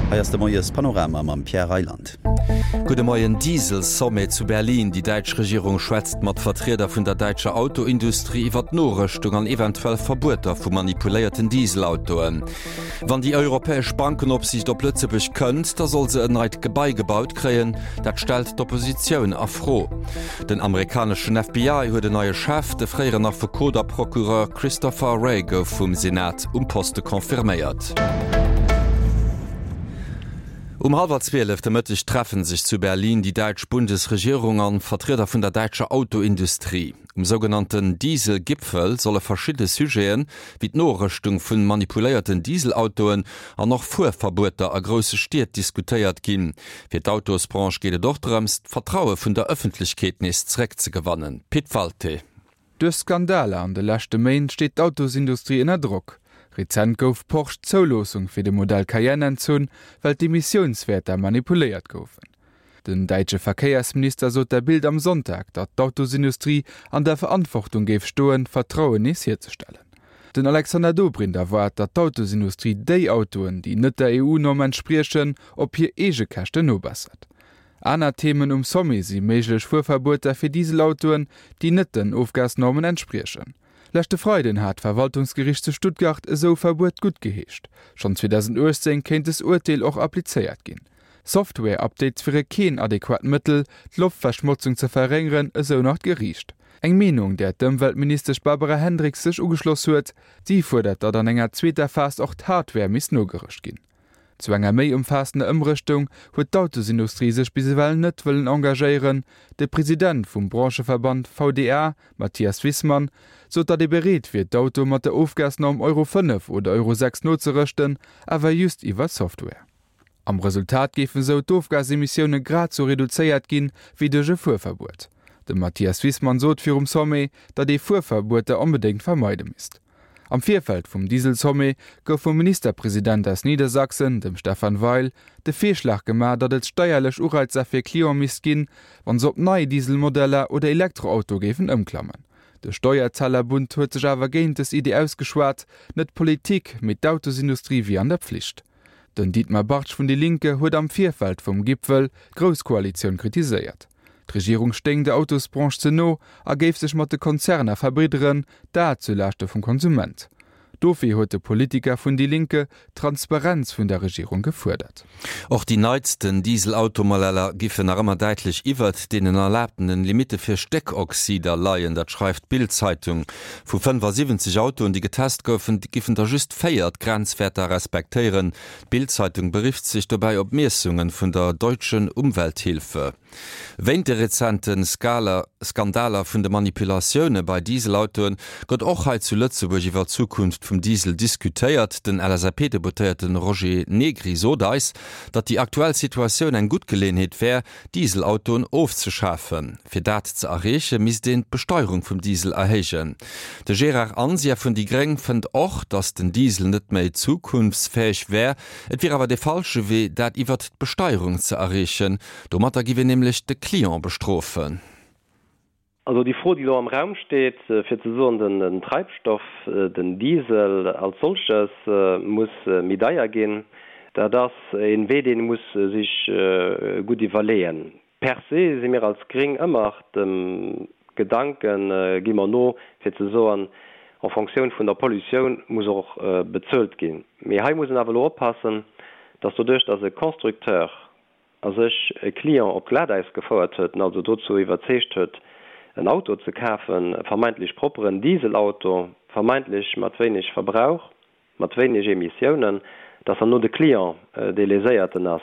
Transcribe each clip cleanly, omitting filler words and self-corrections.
Hei ass de Moies Panorama mam Pierre Reyland. Gudde Moien, Diesel-Sommet zu Berlin, Déi däitsch Regierung schwätzt mat Vertrieder vun der däitscher Autoindustrie iwwer d'Norëschtung an eventuell Verbueter vu manipuléierten Dieselautoen. Wann déi europäesch Bankenopsiicht op Lëtzebuerg kënnt, da soll se en neit Gebai gebaut kréien. Dat stellt d'Oppositioun a Fro. Den amerikaneschen FBI huet en neie Chef, De fréieren Affekot a Procureur Christopher Wray gouf vum Senat um Poste confirméiert. Um hallwer 12 de Mëtteg treffe sech zu Berlin déi däitsch Bundesregierung an Vertrieder vun der däitscher Autoindustrie. Um sougenannten Diesel-Gipfel solle verschidde Sujeten, wéi d'Norëschtung vun manipuléierten Dieselautoen an och Fuerverbueter a grousse Stied diskutéiert ginn. Fir d'Autosbranche geet et och drëms, d'Vertraue vun der Ëffentlechkeet nees zeréckzegewannen. Pit Walté. Duerch Skandaler an de leschte Méint steet d'Autosindustrie ënner Drock. Rezent gouf Porsche d'Zouloossung fir de Modell Cayenne entzunn, well d'Emissiounswäerter manipuléiert goufen. Den däitsche Verkéiersminister sot der Bild am Sonntag, datt d'Autosindustrie an der Verantwortung géif stoen, Vertrauen nees hierzestellen. Den Alexander Dobrindt erwaart, datt d'Autosindustrie déi Autoen, déi net der EU-Norm entspriechen, op hir eege Käschten nobessert. Aner Themen um Sommet si méiglech Fuerverbueter fir Dieselautoen, déi net den Ofgasnormen entspriechen. Leschte Freiden hat d'Verwaltungsgeriicht zu Stuttgart esou Verbuet guttgeheescht. Schonn 2018 kéint des Urteel och applizéiert ginn. Software-Updates wiere keen adequat Mëttel, d'Loftverschmotzung ze verréngeren, esou nach d'Geriicht. Eng Meenung, där d'Ëmweltministesch Barbara Hendricks sech ugeschloss huet. Si fuerdert, datt an enger zweeter Phas och d'Hardware misst nogerëscht ginn. Zu enger méi ëmfaassender Ëmrëschtung huet d'Autosindustrie sech bis ewell net wëllen engagéieren. De President vum Brancheverband VDA, Matthias Wissmann, sot, datt ee bereet wier, d'Autoe mat der Ofgasnorm Euro 5 oder Euro 6 nozerëschten, awer just iwwer Software. Am Resultat géifen esou d'Ofgasemissioune grad sou reduzéiert ginn, wéi duerch e Fuerverbuet. De Matthias Wissmann sot virum Sommet, datt ee Fuerverbueter onbedéngt vermeide misst. Am Virfeld vum Diesel-Sommet gouf vum Ministerpresident aus Niedersachsen, dem Stephan Weil, de Virschlag gemaach, datt et steierlech Ureizer fir Cliente misst ginn, wann se op nei Diesel-Modeller oder Elektroautoe géifen ëmklammen. De Steuerzahlerbund huet sech awer géint dës Idee ausgeschwat, net d'Politik, mee d'Autosindustrie wier an der Pflicht. Den Dietmar Bartsch vun Die Linke huet am Virfeld vum Gipfel d'Grouss-Koalitioun kritiséiert. D'Regierung stéing der Autosbranche ze no a géif sech mat de Konzerner verbridderen, dat zu Laaschte vum Konsument. Dofir huet de Politiker vun Die Linke d'Transparenz vun der Regierung gefuerdert. Och déi neitsten Diesel-Automodeller giffen nach ëmmer däitlech iwwert deenen erlaabtenen Limitte fir Stéckoxider leien. Dat schreift d'Bild-Zeitung. Vu 75 Autoen, déi getest goufen, giffen der just 4 d'Grenzwäerter respektéieren. D'Bild-Zeitung berifft sech dobäi op Miessunge vun der Deutschen Umwelthilfe. Wéint de rezente Skandaler vun de Manipulatioune bei Dieselautoen gëtt och hei zu Lëtzebuerg iwwer d'Zukunft vum Diesel diskutéiert. Den LSAP-Deputéierte Roger Negri sot eis, datt déi aktuell Situatioun eng gutt Geleeënheet wär, Dieselautoen ofzeschafen. Fir dat ze erreeche misst een d'Besteierung vum Diesel erhéijen. De Gérard Anzia vun déi gréng fënnt och, datt den Diesel net méi zukunftsfäeg wär. Et wier awer de falsche Wee, dat iwwert d'Besteierung ze erreechen. Domatter giff een nämlech de Client bestrofen. Also déi Fro, déi elo am Raum steet, fir ze soen, den Treibstoff, den Diesel als solches muss méi deier ginn, dat ass e Wee, deen ee muss sech gutt iwwerleeën. Per se si mir als Gréng ëmmer dem Gedanken, gi mer no, fir ze soen, en Fonctioun vun der Pollutioun muss och bezuelt ginn. Mee hei muss een awer elo oppassen, dass doduerch, dass e Constructeur a sech e Client op Glatäis gefouert huet, en also dozou iwwerzeegt huet, en Auto ze kafen, e vermeintlech propperen Dieselauto, vermeintlech mat wéineg Verbrauch, mat wéineg Emissiounen, dass herno de Client dee Léséierten ass.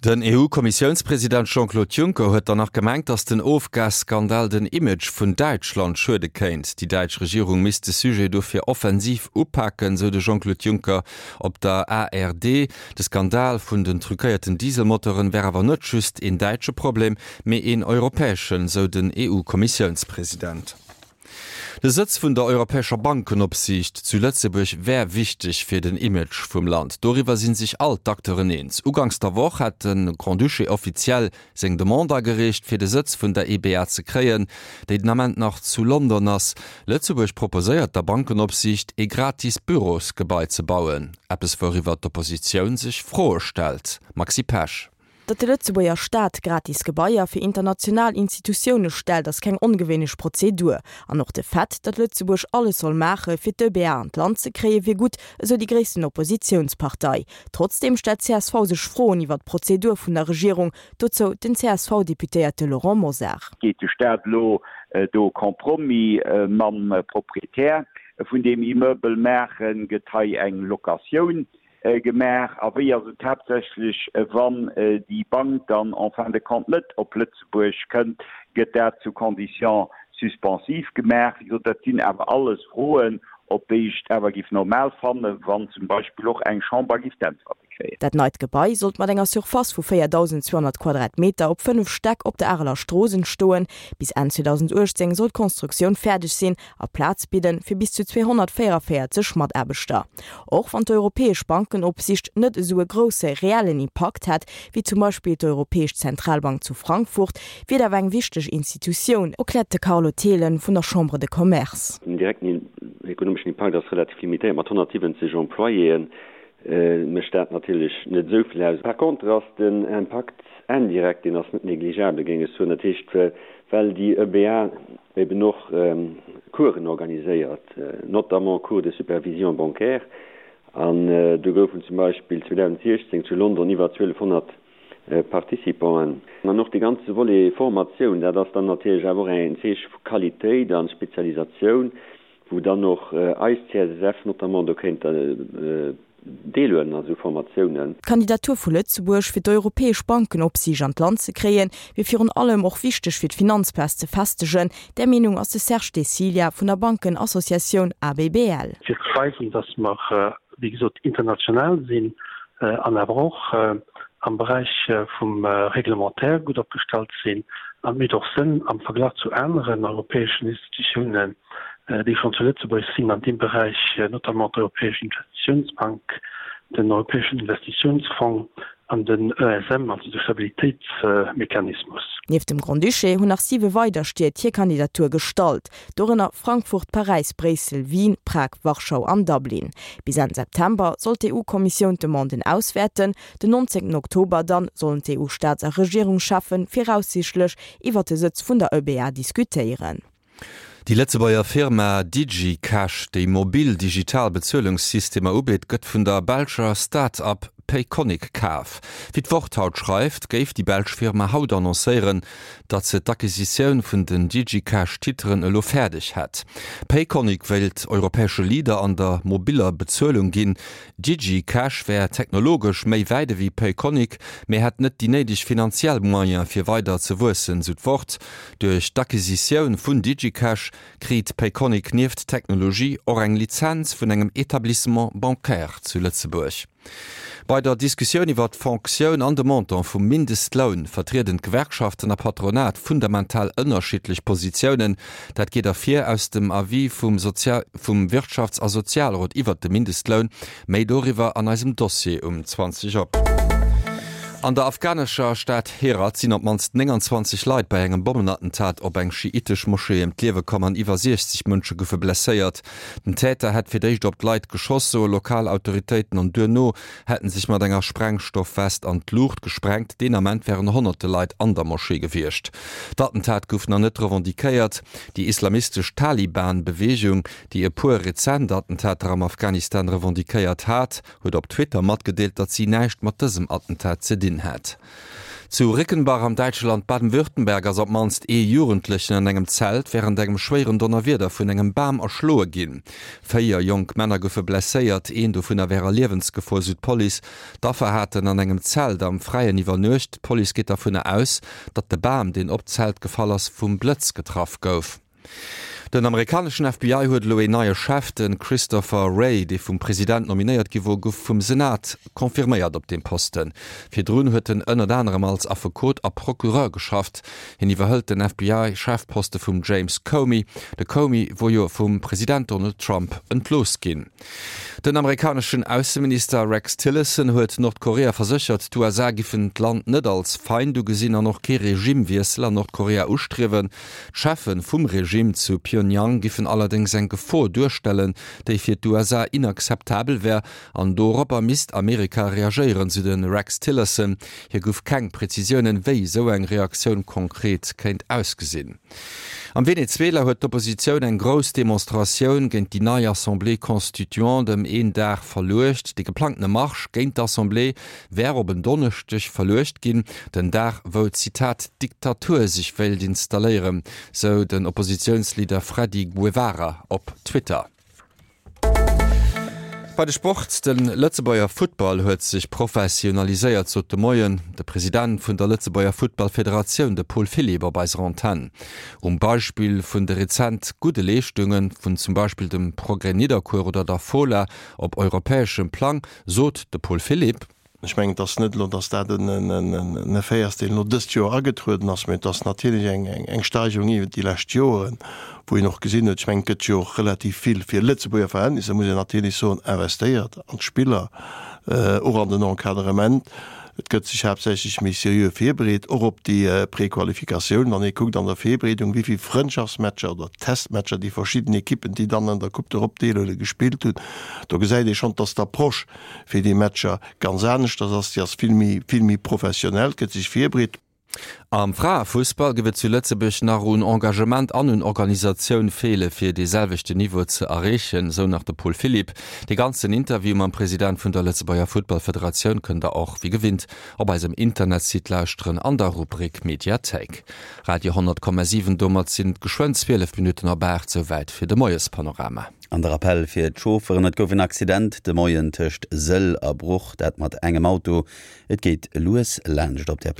Den EU-Kommissiounspresident Jean-Claude Juncker huet dann nach gemengt, datt den Ofgasskandal den Image vun Däitschland schuede kéint. Déi däitsch Regierung misst de Sujet dofir offensiv upaken, sou de Jean-Claude Juncker op der ARD. De Skandal vun den truquéierten Dieselmotoren wär awer net just een däitsche Problem, mee een europäeschen, sou den EU-Kommissiounspresident. De Sëtz vun der Europäescher Bankenopsiicht zu Lëtzebuerg wär wichteg fir den Image vum Land. Doriwwer si sech all d'Acteuren eens. Uganks der Woch hat de Grand-Duché offiziell seng Demande agereecht, fir de Sëtz vun der EBA ze kréien, déi den Ament nach zu London ass. Lëtzebuerg proposéiert der Bankenopsiicht, ee gratis Bürosgebai ze bauen. Eppes wouriwwer d'Oppositioun sech Froe stellt. Maxi Pesch. Datt de Lëtzebuerger Staat gratis Gebaier fir international Institutioune stellt, ass keng ongewéinlech Prozedur. An och de Fait, datt Lëtzebuerg alles soll maache fir d'EBA an d'Land ze kréien, wier gutt, esou déi gréissten Oppositiounspartei. Trotzdeem stellt csv sech Froen iwwer d'Prozedur vun der Regierung, dozou den CSV-Deputéierte Laurent Mosar. Geet de Staat elo do Compromis mam Proprietär vun deem Immeuble maachen? Gëtt hei eng Locatioun gemaach? A wéi ass et haaptsächlech, wann déi Bank dann en fin de compte net op Lëtzebuerg kënnt? Gëtt dat sous conditions suspensives gemaach? Wéi gesot, dat sinn awer alles Froen, op déi ech et awer géif normal fannen, wann zum Beispill och eng Chamber géif d'Äntwerte kréien. Dat neit Gebai sollt mat enger Surface vu 4.200 Quadratmeter op 5 Stäck op der Areler Strooss entstoen. Bis Enn 2018 soll d'Konstruktioun fäerdeg sinn a Plaz bidden fir bis zu 244 Mataarbechter. Och wann d'Europäesch Bankenopsicht net esou e grousse reellen Impakt hätt, wéi zum Beispill d'Europäesch Zentralbank zu Frankfurt, wier et awer eng wichteg Institutioun, erkläert de Carlo Thelen vun der Chambre de Commerce. Den direkten ekonomeschen Impakt ass relativ limitéiert, mat 170 Employéeën mécht dat natierlech net esou vill aus. Par contre ass den Impakt indirect, deen ass net négligeabel, géing ech soen. Dat heescht, well déi EBA eben och Coursen organiséiert, notamment Cours de supervision bancaire, an do goufen zum Beispill 2016 zu London iwwer 1200 Participanten. An och de ganze Volet Formatioun, dat ass dann natierlech awer och en Zeeche vu Qualitéit a Spezialisatioun, wou dann och eis CSSF notamment do kéint deelhuelen a sou Formatiounen. D'Kandidatur vu Lëtzebuerg fir d'europäesch Bankenopsiicht an d'Land ze kréien, wier virun allem och wichteg fir d'Finanzplaz ze festegen. Där Meenung ass de Serge De Cilia vun der Bankenassociatioun ABBL. Fir ze weisen, datt mer, wéi gesot, international sinn an awer och am Beräich vum Réglementaire gutt opgestallt sinn. An et mécht och Sënn am Verglach zu aneren europäeschen Institutiounen, déi schonn zu Lëtzebuerg sinn an deem Beräich, notamment d'Europäesch Investitiounsbank, den Europäeschen Investitiounsfong an den ESM, also de Stabilitéitsmechanismus. Nieft dem Grand-Duché hunn nach siwe weider Stied hir Kandidatur gestallt, dorënner Frankfurt, Paräis, Bréissel, Wien, Prag, Warschau an Dublin. Bis Enn September soll d'EU-Kommissioun d'Demanden auswäerten. Den 19 Oktober dann sollen d'EU-Staats a Regierungscheffe viraussiichtlech iwwer de Sëtz vun der EBA diskutéieren. Déi Lëtzebuerger Firma DigiCash, déi mobil digital Bezuelungssystemer ubitt, gëtt vun der belscher Start-up Payconiq kaf. Wéi d'Wort haut schreift, géif déi belsch Firma haut annoncéieren, datt se d'Acquisitioun vun den DigiCash-Titeren elo fäerdeg hätt. Payconiq wéilt europäesche Leader an der mobiller Bezuelung ginn. DigiCash wär technologesch méi wäit ewéi Payconiq, mee hätt net déi néideg finanziell Moyene fir weider ze wuessen, sou d'Wort. Duerch d'Acquisitioun vun DigiCash kriit Payconiq nieft Technologie och eng Lizenz vun engem Etablissement bancaire zu Lëtzebuerg. Bei der Diskussioun iwwer d'Fonctioun an de Montant vum Mindestloun vertrieden d'Gewerkschaften a Patronat fundamental ënnerschiddlech Positiounen. Dat geet ervir aus dem Avis vum vum Wirtschafts a Sozialrot iwwert de Mindestloun. Méi doriwwer an eisem Dossier um 20 op. An der afghanescher Stad Herat sinn op d'mannst 29 Leit bei engem Bommenattentat op eng schiitesch Moschee ëm d'Liewe komm an iwwer 60 Mënsche goufe blesséiert. Den Täter hätt fir d'éischt op d'Leit geschoss, soe lokal Autoritéiten, an duerno hätt en sech mat enger Sprengstoffwest an d'Luucht gesprengt. Deen Ament wären honnerte Leit an der Moschee gewiescht. D'Attentat gouf nach net revendiquéiert. Déi islamistesch Taliban-Beweegung, déi e puer rezent Attentater am Afghanistan revendiquéiert hat, huet op Twitter matgedeelt, datt si näischt mat dësem Attentat ze dinn hätt. Zu Rickenbach am däitsche Land Baden-Württemberg ass op d'mannst ee Jugendlechen an engem Zelt wärend engem schwéieren Donnerwieder vun engem Bam erschloe ginn. 4 jonk Männer goufe blesséiert, een dovunner wär a Liewensgefor, sou d'Police. D'Affer haten an engem Zelt am Fräien iwwernuecht. D'Police geet dervunner aus, datt de Bam, deen op d'Zelt gefall ass, vum Blëtz getraff gouf. Den amerikaneschen FBI huet elo een neie Chef, De Christopher Wray, dee vum President nominéiert gi wor, gouf vum Senat confirméiert op deem Posten. Virdrun huet en ënnert anerem als Affekot a Procureur geschafft. Hien iwwerhëlt den FBI-Chefposte vum James Comey. De Comey wor jo vum President Donald Trump entlooss ginn. Den amerikaneschen Ausseminister Rex Tillerson huet Nordkorea verséchert, d'USA giffen d'Land net als Feind ugesinn an och kee Regimewiessel an Nordkorea ustriewen. D'Cheffe vum Regime zu Pyongyang giffen allerdéngs eng Gefor duerstellen, déi fir d'USA inakzeptabel wär an doropper misst Amerika reagéieren, sou de Rex Tillerson. Hie gouf keng Prezisiounen, wéi esou eng Reaktioun konkret kéint ausgesinn. Am Venezuela huet d'Oppositioun eng grouss Demonstratioun géint déi nei Assemblée constituante ëm een Dag verluecht. Déi geplangtene Marsch géint d'Assemblée wär op en Donneschdeg verluecht ginn, den Dag wou, Zitat, d'Diktatur sech wéilt installéieren, sou den Oppositiounsleader Freddy Guevara op Twitter. Bei de Sport, De Lëtzebuerger Futtball huet sech professionaliséiert, sot de Moien de President vun der Lëtzebuerger Futtballfederatioun, de Paul Philipp, op eiser Antenn. Um Beispill vun de rezent gudde Leeschtunge vun zum Beispill dem Progrès Nidderkuer oder der Fola op europäeschem Plang, sot de Paul Philipp, Ech mengen, et ass net elo, datt dat en Effet ass, deen elo dëst Joer agetrueden ass, mä et ass natierlech eng Steigerung iwwert déi lescht Joren, wou een och gesinn huet, ech mengen, et gëtt jo och relativ vill, fir Lëtzebuerger Verhältnisser muss een natierlech soen, investéiert an d'Spiller, och an den Encadrement. Et gëtt sech haaptsächlech méi seriö virbereet, och op déi Prequalifikatioun. Wann ee kuckt an der Virbereedung, wéi vill Frëndschaftsmatcher oder Testmatcher déi verschidden Ekippen, déi dann an der Coupe d'Europe deelhuelen, gespillt hunn, do gesäit ee schonn, datt d'Approche fir déi Matcher ganz aneschters ass, déi ass vill méi, vill méi professionell, gëtt sech virbereet. Am Fraefussball géif et zu Lëtzebuerg nach un Engagement an un Organisatioun feele fir dee selwechten Niveau ze erreechen, sou nach de Paul Philipp. Dee ganzen Interview mam President vun der Lëtzebuerger Futtballfederatioun kënnt der och wéi gewinnt op eisem Internetsite lauschteren an der Rubrik Mediathéik. Radio 10,7 Domat sinn et geschwënn 12 Minutten op 8, souwäit fir de Moiespanorama. An de Rappell fir d'Chaufferen, Et gouf en Accident de Moien tëscht Sëll a Bruch, dat mat engem Auto. Et geet lues laanscht op där.